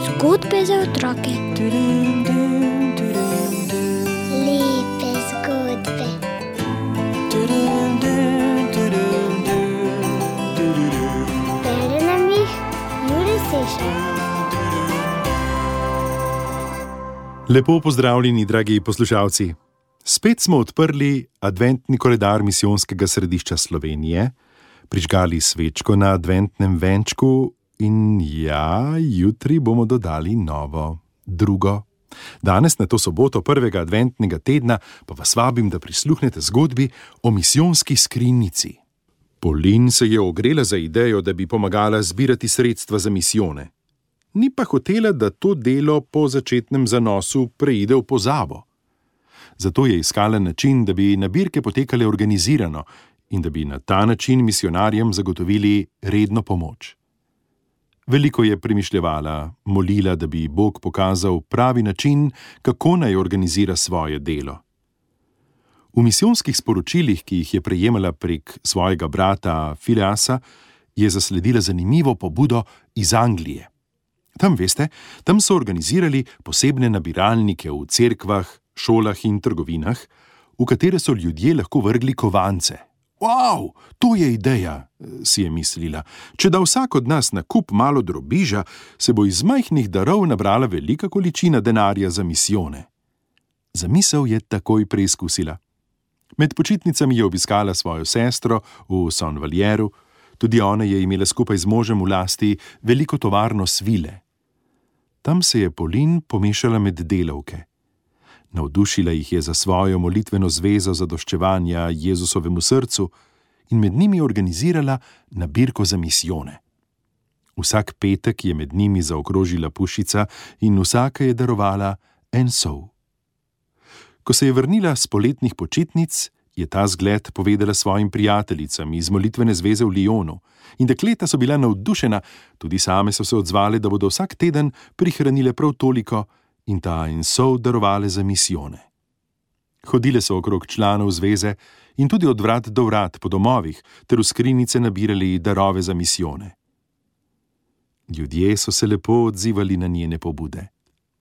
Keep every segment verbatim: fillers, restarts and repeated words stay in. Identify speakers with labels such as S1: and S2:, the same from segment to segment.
S1: Zgodbe za otroke.
S2: Lepe zgodbe. Bere nam jih Jure Sešar.
S3: Lepo pozdravljeni, dragi poslušalci. Spet smo odprli adventni koledar Misijonskega središča Slovenije, prižgali svečko na adventnem venčku in ja, jutri bomo dodali novo, drugo. Danes, na to soboto prvega adventnega tedna, pa vas vabim, da prisluhnete zgodbi o misijonski skrinjici. Polin se je ogrela za idejo, da bi pomagala zbirati sredstva za misijone. Ni pa hotela, da to delo po začetnem zanosu preide v pozabo. Zato je iskala način, da bi nabirke potekale organizirano in da bi na ta način misionarjem zagotovili redno pomoč. Veliko je premišljevala, molila, da bi Bog pokazal pravi način, kako naj organizira svoje delo. V misijonskih sporočilih, ki jih je prejemala prek svojega brata Fileasa, je zasledila zanimivo pobudo iz Anglije. Tam, veste, tam so organizirali posebne nabiralnike v cerkvah, šolah in trgovinah, v katere so ljudje lahko vrgli kovance. Wow, to je ideja, si je mislila. Če da vsak od nas na kup malo drobiža, se bo iz majhnih darov nabrala velika količina denarja za misijone. Zamisel je takoj preizkusila. Med počitnicami je obiskala svojo sestro v Saint-Valjeru, tudi ona je imela skupaj z možem v lasti veliko tovarno svile. Tam se je Polin pomešala med delavke. Navdušila jih je za svojo molitveno zvezo zadoščevanja Jezusovemu srcu in med njimi organizirala nabirko za misijone. Vsak petek je med njimi zaokrožila pušica in vsaka je darovala en sol. Ko se je vrnila s poletnih počitnic, je ta zgled povedala svojim prijateljicam iz molitvene zveze v Lyonu in dekleta so bila navdušena, tudi same so se odzvale, da bodo vsak teden prihranile prav toliko in ta en sol darovale za misijone. Hodile so okrog članov zveze in tudi od vrat do vrat po domovih ter v skrinjice nabirali darove za misijone. Ljudje so se lepo odzivali na njene pobude.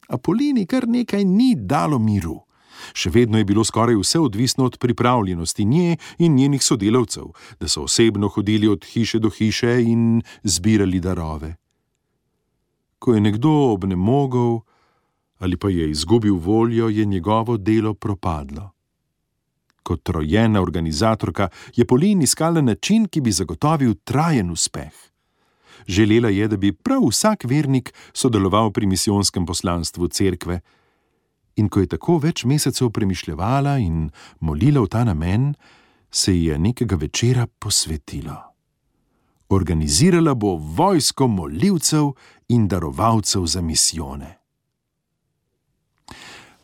S3: A Polini kar nekaj ni dalo miru. Še vedno je bilo skoraj vse odvisno od pripravljenosti nje in njenih sodelavcev, da so osebno hodili od hiše do hiše in zbirali darove. Ko je nekdo obnemogel ali pa je izgubil voljo, je njegovo delo propadlo. Kot rojena organizatorka je Polin iskala način, ki bi zagotovil trajen uspeh. Želela je, da bi prav vsak vernik sodeloval pri misijonskem poslanstvu cerkve, in ko je tako več mesecev premišljevala in molila v ta namen, se ji je nekega večera posvetilo. Organizirala bo vojsko molilcev in darovalcev za misijone.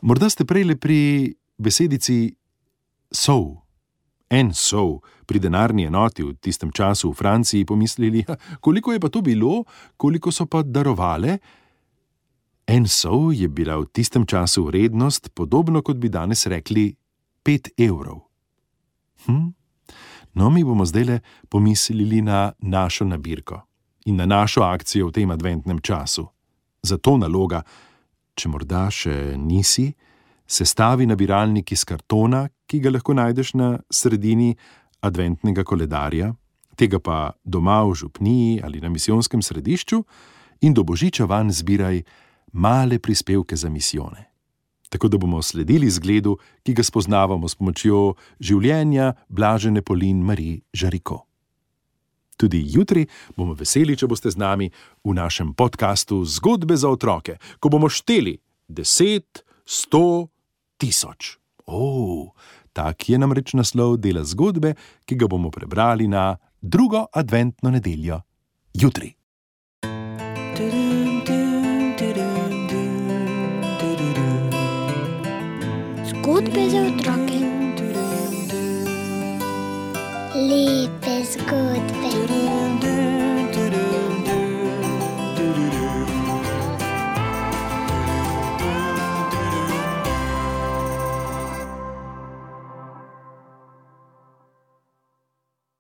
S3: Morda ste prejle pri besedici sol, en sol, pri denarni enoti v tistem času v Franciji pomislili, koliko je pa to bilo, koliko so pa darovale. En sol je bila v tistem času vrednost, podobno kot bi danes rekli pet evrov. Hm? No, mi bomo zdajle pomislili na našo nabirko in na našo akcijo v tem adventnem času. Zato naloga, če morda še nisi, sestavi nabiralnik iz kartona, ki ga lahko najdeš na sredini adventnega koledarja, tega pa doma v župniji ali na misijonskem središču in do božiča vanj zbiraj male prispevke za misijone. Tako da bomo sledili zgledu, ki ga spoznavamo s pomočjo življenja blažene Polin Marie Jaricot. Tudi jutri bomo veseli, če boste z nami v našem podkastu Zgodbe za otroke, ko bomo šteli deset, sto, tisoč. O, tak je namreč naslov dela zgodbe, ki ga bomo prebrali na drugo adventno nedeljo. Jutri.
S1: Zgodbe za otroke.
S2: Lepe zgodbe.